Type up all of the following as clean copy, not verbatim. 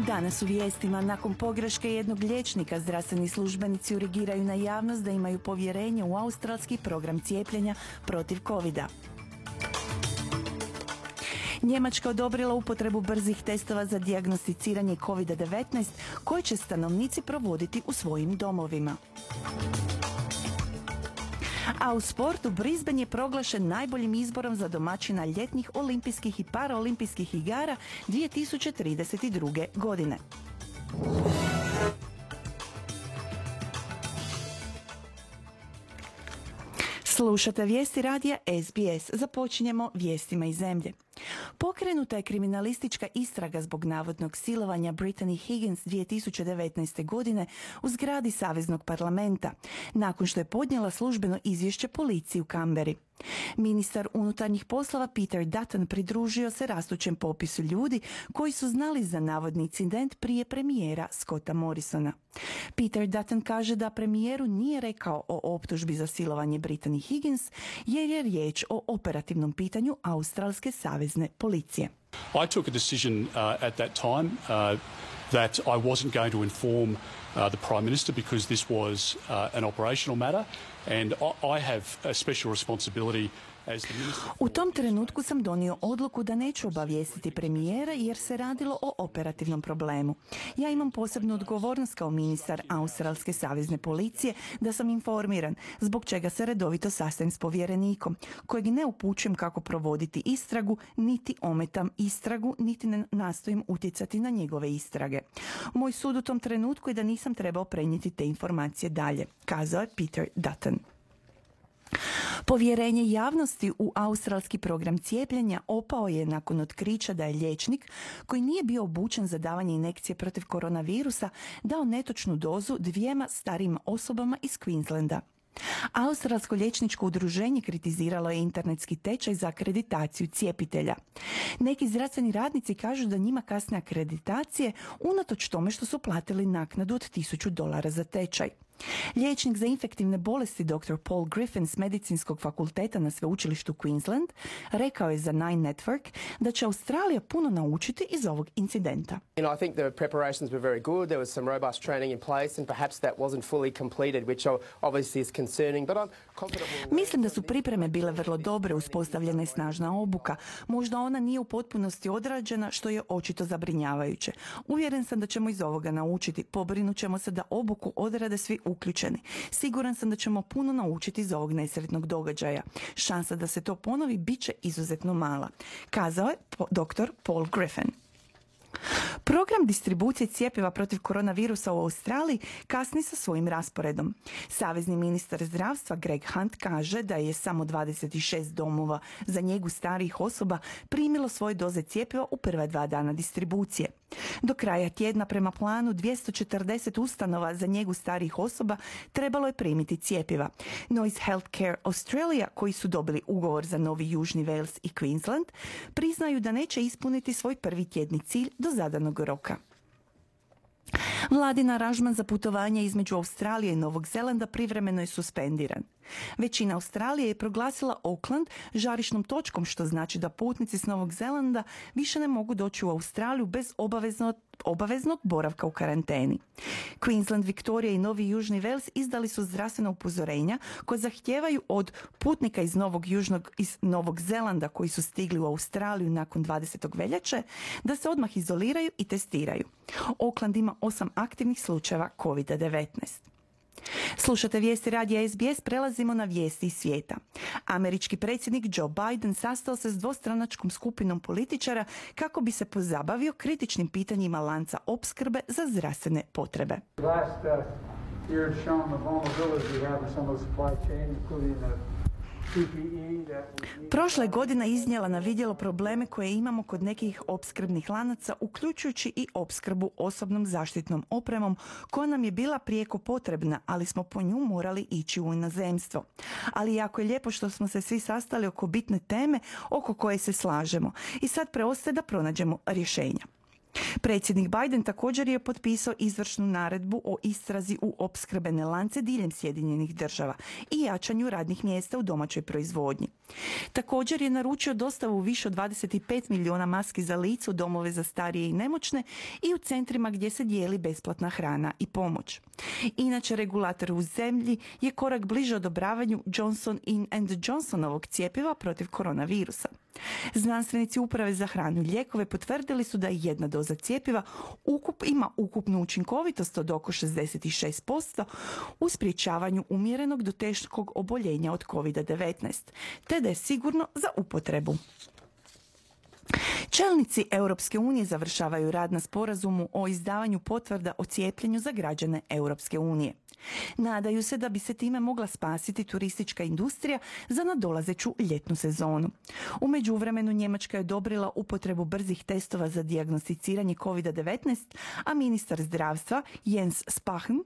Danas u vijestima, nakon pogreške jednog liječnika, zdravstveni službenici urgiraju na javnost da imaju povjerenje u australski program cijepljenja protiv covida. Njemačka odobrila upotrebu brzih testova za dijagnosticiranje COVID-19 koje će stanovnici provoditi u svojim domovima. A u sportu Brisbane je proglašen najboljim izborom za domaćina ljetnih olimpijskih i paraolimpijskih igara 2032. godine. Slušate vijesti radija SBS. Započinjemo vijestima iz zemlje. Pokrenuta je kriminalistička istraga zbog navodnog silovanja Brittany Higgins 2019. godine u zgradi Saveznog parlamenta, nakon što je podnijela službeno izvješće policiji u Canberri. Ministar unutarnjih poslova Peter Dutton pridružio se rastućem popisu ljudi koji su znali za navodni incident prije premijera Scotta Morrisona. Peter Dutton kaže da premijeru nije rekao o optužbi za silovanje Brittany Higgins jer je riječ o operativnom pitanju australske savezne policije. I took a decision at that time that I wasn't going to inform the Prime Minister because this was an operational matter and I have a special responsibility. U tom trenutku sam donio odluku da neću obavijestiti premijera jer se radilo o operativnom problemu. Ja imam posebnu odgovornost kao ministar australske savezne policije da sam informiran, zbog čega se redovito sastajem s povjerenikom, kojeg ne upućujem kako provoditi istragu, niti ometam istragu, niti ne nastojim utjecati na njegove istrage. Moj sud u tom trenutku je da nisam trebao prenijeti te informacije dalje, kazao je Peter Dutton. Povjerenje javnosti u australski program cijepljenja opao je nakon otkrića da je liječnik koji nije bio obučen za davanje injekcije protiv koronavirusa dao netočnu dozu 2 starijim osobama iz Queenslanda. Australsko liječničko udruženje kritiziralo je internetski tečaj za akreditaciju cijepitelja. Neki zdravstveni radnici kažu da njima kasne akreditacije unatoč tome što su platili naknadu od $1000 za tečaj. Liječnik za infektivne bolesti dr. Paul Griffin s medicinskog fakulteta na sveučilištu Queensland rekao je za Nine Network da će Australija puno naučiti iz ovog incidenta. I think the preparations were very good. There was some robust training in place and perhaps that wasn't fully completed, which obviously is concerning, but I'm confident. Mislim da su pripreme bile vrlo dobre, uspostavljena je snažna obuka. Možda ona nije u potpunosti odrađena, što je očito zabrinjavajuće. Uvjeren sam da ćemo iz ovoga naučiti. Pobrinut ćemo se da obuku odrade svi uključeni. Siguran sam da ćemo puno naučiti iz ovog nesretnog događaja. Šansa da se to ponovi bit će izuzetno mala, kazao je dr. Paul Griffin. Program distribucije cjepiva protiv koronavirusa u Australiji kasni sa svojim rasporedom. Savezni ministar zdravstva Greg Hunt kaže da je samo 26 domova za njegu starijih osoba primilo svoje doze cjepiva u prva 2 dana distribucije. Do kraja tjedna prema planu 240 ustanova za njegu starijih osoba trebalo je primiti cjepiva. Noise Healthcare Australia, koji su dobili ugovor za Novi Južni Wales i Queensland, priznaju da neće ispuniti svoj prvi tjedni cilj do zadanog roka. Vladin aranžman za putovanje između Australije i Novog Zelanda privremeno je suspendiran. Većina Australije je proglasila Auckland žarišnom točkom, što znači da putnici s Novog Zelanda više ne mogu doći u Australiju bez obaveznog boravka u karanteni. Queensland, Victoria i Novi Južni Wales izdali su zdravstvena upozorenja koje zahtijevaju od putnika iz Novog Zelanda koji su stigli u Australiju nakon 20. veljače da se odmah izoliraju i testiraju. Auckland ima 8 aktivnih slučajeva COVID-19. Slušate vijesti radija SBS, prelazimo na vijesti iz svijeta. Američki predsjednik Joe Biden sastao se s dvostranačkom skupinom političara kako bi se pozabavio kritičnim pitanjima lanca opskrbe za zdravstvene potrebe. Prošla je godina iznijela na vidjelo probleme koje imamo kod nekih opskrbnih lanaca, uključujući i opskrbu osobnom zaštitnom opremom koja nam je bila prijeko potrebna, ali smo po nju morali ići u inozemstvo. Ali jako je lijepo što smo se svi sastali oko bitne teme oko koje se slažemo i sad preostaje da pronađemo rješenja. Predsjednik Biden također je potpisao izvršnu naredbu o istrazi u opskrbene lance diljem Sjedinjenih država i jačanju radnih mjesta u domaćoj proizvodnji. Također je naručio dostavu više od 25 milijuna maski za lice u domove za starije i nemoćne i u centrima gdje se dijeli besplatna hrana i pomoć. Inače, regulator u zemlji je korak bliže odobravanju Johnson & Johnsonovog cjepiva protiv koronavirusa. Znanstvenici Uprave za hranu i lijekove potvrdili su da jedna doza cjepiva ima ukupnu učinkovitost od oko 66% u sprječavanju umjerenog do teškog oboljenja od COVID-19, te da je sigurno za upotrebu. Čelnici Europske unije završavaju rad na sporazumu o izdavanju potvrda o cijepljenju za građane Europske unije. Nadaju se da bi se time mogla spasiti turistička industrija za nadolazeću ljetnu sezonu. U međuvremenu Njemačka je odobrila upotrebu brzih testova za dijagnosticiranje COVID-19, a ministar zdravstva Jens Spahn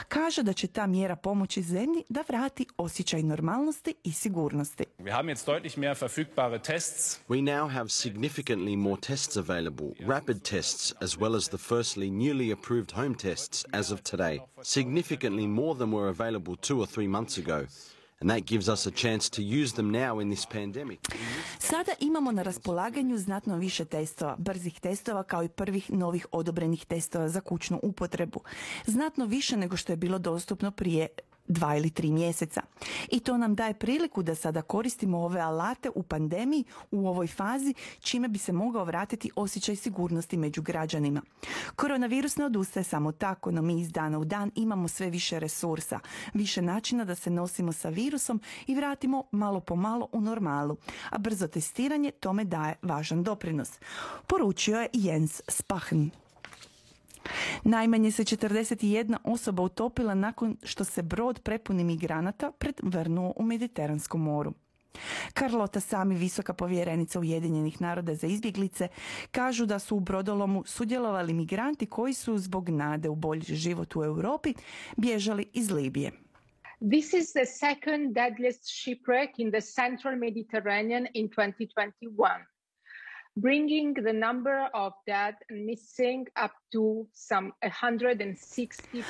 kaže da će ta mjera pomoći zemlji da vrati osjećaj normalnosti i sigurnosti. Wir haben jetzt deutlich mehr verfügbare tests. We now have significantly more tests available, rapid tests as well as the firstly newly approved home tests as of today. Significantly more than were available 2 or 3 months ago. And that gives us a chance to use them now in this pandemic. Sada imamo na raspolaganju znatno više testova, brzih testova kao i prvih novih odobrenih testova za kućnu upotrebu. Znatno više nego što je bilo dostupno prije 2 ili 3 mjeseca. I to nam daje priliku da sada koristimo ove alate u pandemiji u ovoj fazi, čime bi se mogao vratiti osjećaj sigurnosti među građanima. Koronavirus ne odustaje samo tako, no mi iz dana u dan imamo sve više resursa, više načina da se nosimo sa virusom i vratimo malo po malo u normalu, a brzo testiranje tome daje važan doprinos, poručio je Jens Spahn. Najmanje se 41 osoba utopila nakon što se brod prepun migranata prevrnuo u Mediteranskom moru. Carlota Sami, visoka povjerenica Ujedinjenih naroda za izbjeglice, kažu da su u brodolomu sudjelovali migranti koji su zbog nade u bolji život u Europi bježali iz Libije. This is the second deadliest shipwreck in the central Mediterranean in 2021. Bringing the number of dead and missing up to some 160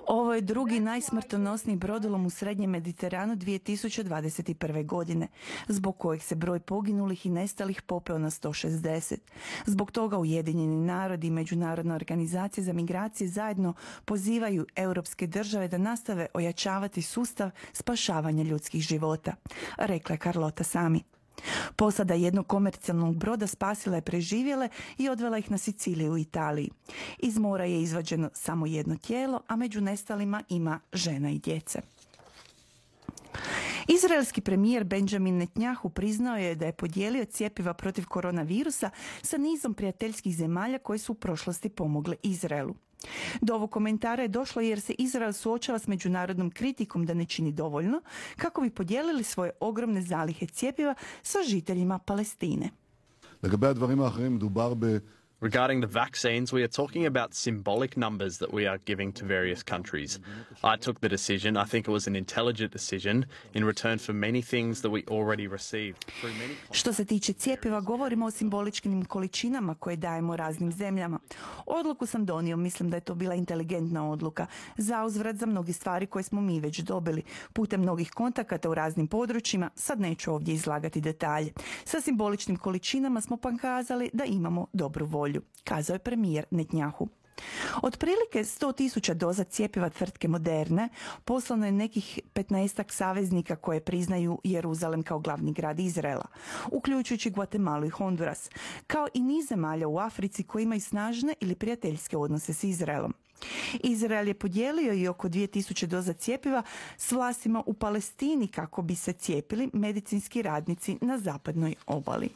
Ovo je drugi najsmrtonosniji brodolom u Srednjem Mediteranu 2021. godine, zbog kojeg se broj poginulih i nestalih popeo na 160. Zbog toga Ujedinjeni narodi i Međunarodna organizacija za migracije zajedno pozivaju europske države da nastave ojačavati sustav spašavanja ljudskih života, rekla je Carlota Sami. Posada jednog komercijalnog broda spasila je preživjele i odvela ih na Siciliju u Italiji. Iz mora je izvađeno samo jedno tijelo, a među nestalima ima žena i djece. Izraelski premijer Benjamin Netanyahu priznao je da je podijelio cjepiva protiv koronavirusa sa nizom prijateljskih zemalja koje su u prošlosti pomogle Izraelu. Do ovog komentara je došlo jer se Izrael suočava s međunarodnom kritikom da ne čini dovoljno kako bi podijelili svoje ogromne zalihe cjepiva sa žiteljima Palestine. Regarding the vaccines, we are talking about symbolic numbers that we are giving to various countries. I took the decision, I think it was an intelligent decision, in return for many things that we already received. Što se tiče cjepiva, govorimo o simboličkim količinama koje dajemo raznim zemljama. Odluku sam donio, mislim da je to bila inteligentna odluka, zauzvrat za mnoge stvari koje smo mi već dobili, putem mnogih kontakata u raznim područjima, sad neću ovdje izlagati detalje. Sa simboličnim količinama smo pokazali da imamo dobru volju, kazao je premijer Netanyahu. Otprilike 100.000 doza cjepiva tvrtke Moderne poslano je nekih 15 saveznika koje priznaju Jeruzalem kao glavni grad Izraela, uključujući Guatemalu i Honduras, kao i niz zemalja u Africi koji imaju snažne ili prijateljske odnose s Izraelom. Izrael je podijelio i oko 2.000 doza cjepiva s vlastima u Palestini kako bi se cijepili medicinski radnici na zapadnoj obali.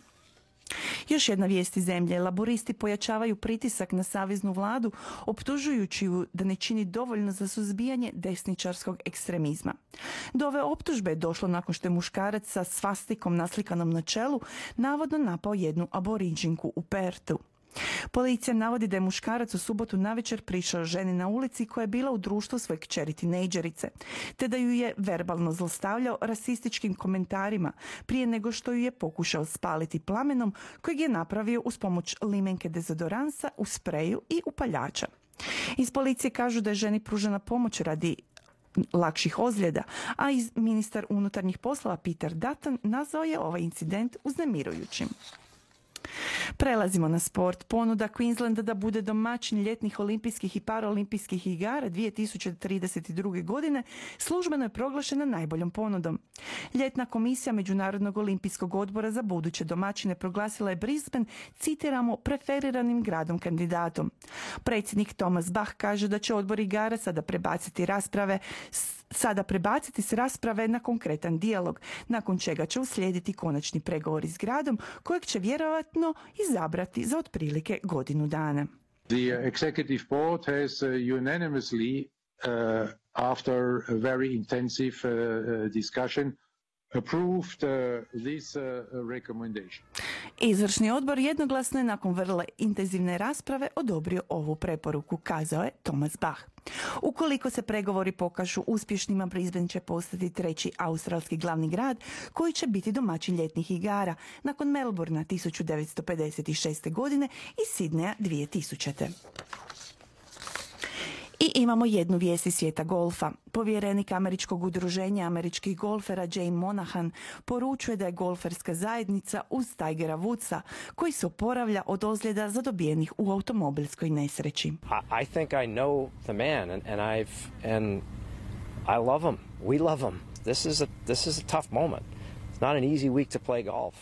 Još jedna vijest iz zemlje. Laboristi pojačavaju pritisak na saveznu vladu, optužujući ju da ne čini dovoljno za suzbijanje desničarskog ekstremizma. Do ove optužbe je došlo nakon što je muškarac sa svastikom naslikanom na čelu navodno napao jednu aboriđinku u Pertu. Policija navodi da je muškarac u subotu navečer prišao ženi na ulici koja je bila u društvu svoje kćeri tinejdžerice, te da ju je verbalno zlostavljao rasističkim komentarima prije nego što ju je pokušao spaliti plamenom kojeg je napravio uz pomoć limenke dezodoransa, u spreju i upaljača. Iz policije kažu da je ženi pružena pomoć radi lakših ozljeda, a ministar unutarnjih poslova Peter Dutton nazvao je ovaj incident uznemirujućim. Prelazimo na sport. Ponuda Queenslanda da bude domaćin ljetnih olimpijskih i paraolimpijskih igara 2032. godine službeno je proglašena najboljom ponudom. Ljetna komisija Međunarodnog olimpijskog odbora za buduće domaćine proglasila je Brisbane, citiramo, preferiranim gradom kandidatom. Predsjednik Thomas Bach kaže da će odbor igara sada prebaciti s rasprave na konkretan dijalog, nakon čega će uslijediti konačni pregovori s gradom kojeg će vjerojatno izabrati za otprilike godinu dana. The executive board has unanimously, after a very intensive discussion, approved this recommendation. Izvršni odbor jednoglasno je nakon vrlo intenzivne rasprave odobrio ovu preporuku, kazao je Thomas Bach. Ukoliko se pregovori pokažu uspješnima, Brisbane će postati treći australski glavni grad koji će biti domaćin ljetnih igara nakon Melbournea 1956. godine i Sydneya 2000. I imamo jednu vijest iz svijeta golfa. Povjerenik Američkog udruženja američkih golfera Jay Monahan poručuje da je golferska zajednica uz Tigera Woodsa, koji se oporavlja od ozljeda zadobijenih u automobilskoj nesreći. I think I know the man and I love him. We love him. This is a tough moment. It's not an easy week to play golf.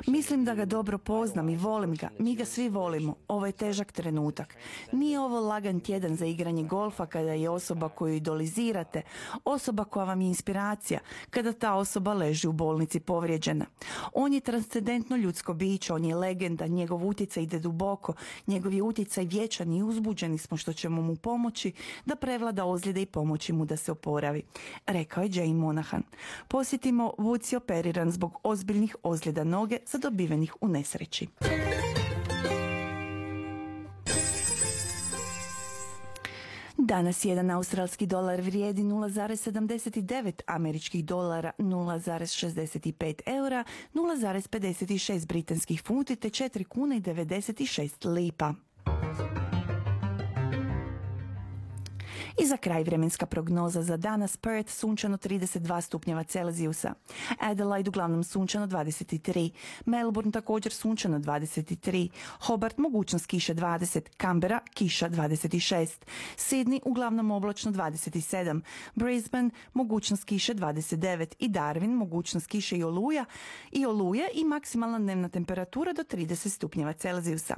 Mislim da ga dobro poznam i volim ga. Mi ga svi volimo. Ovo je težak trenutak. Nije ovo lagan tjedan za igranje golfa kada je osoba koju idolizirate, osoba koja vam je inspiracija, kada ta osoba leži u bolnici povrijeđena. On je transcendentno ljudsko biće, on je legenda, njegov utjecaj ide duboko, njegov je utjecaj vječan i uzbuđeni smo što ćemo mu pomoći da prevlada ozljede i pomoći mu da se oporavi, rekao je Jay Monahan. Posjetimo, Woods je operiran zbog ozbiljnih ozljeda noge zadobivenih u nesreći. Danas jedan australski dolar vrijedi 0,79 američkih dolara, 0,65 eura, 0,56 britanskih funti te 4 kune i 96 lipa. I za kraj vremenska prognoza za danas: Perth sunčano 32 stupnjeva Celzijusa, Adelaide uglavnom sunčano 23, Melbourne također sunčano 23, Hobart mogućnost kiše 20, Canberra kiša 26, Sydney uglavnom oblačno 27, Brisbane mogućnost kiše 29 i Darwin mogućnost kiše i oluje i maksimalna dnevna temperatura do 30 stupnjeva Celzijusa.